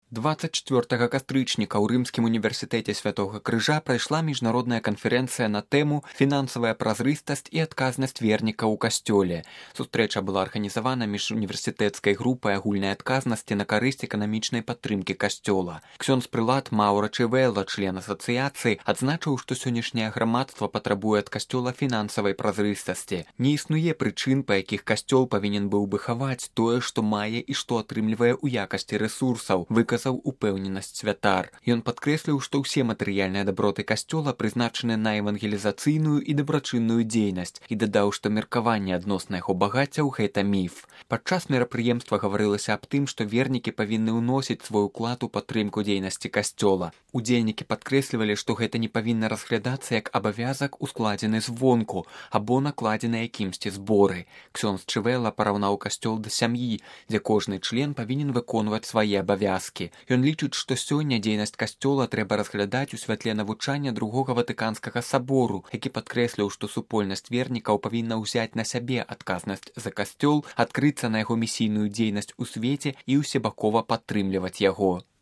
24 кастрычніка ў рымскім універсітэце Святога Крыжа прайшла міжнародная канферэнцыя на тэму «Фінансавая празрыстасць і адказнасць верніка ў касцёле». Сустрэча была арганізавана міжуніверсітэцкай групай агульнай адказнасці на карысць эканамічнай падтрымкі касцёла. Ксёндз-прылад Маўра Чывэлла, член асацыяцыі, адзначыў, што сённяшняе грамадства патрабуе ад касцёла фінансавай празрыстасці. Не існуе прычын, па якіх касцёл павінен быў бы хаваць тое, што мае і што атрымлівае ў якасці рэсурсаў, упэўненасць святар. Ён падкрэсліў, што ўсе матэрыяльныя даброты касцёла прызначаны на евангелізацыйную і дабрачынную дзейнасць і дадаў, што меркаванне адносна яго багаццяў – гэта міф. Падчас мерапрыемства гаварылася аб тым, што вернікі павінны ўносіць свой уклад у падтрымку дзейнасці касцёла. Удзельнікі падкрэслівалі, што гэта не павінна разглядацца як абавязак, ускладзены звонку або накладзены якімсьці зборы. Ксёндз Чывэлла параўнаў касцёл да сям'і, дзе кожны член павінен выконваць свае абавязкі. Ён лічыць, што сёння дзейнасць касцёла трэба разглядаць у святле навучання другога Ватыканскага сабору, які падкрэсліў, што супольнасць вернікаў павінна ўзяць на сябе адказнасць за касцёл, адкрыцца на яго місійную дзейнасць у свеце і ўсебакова падтрымліваць яго.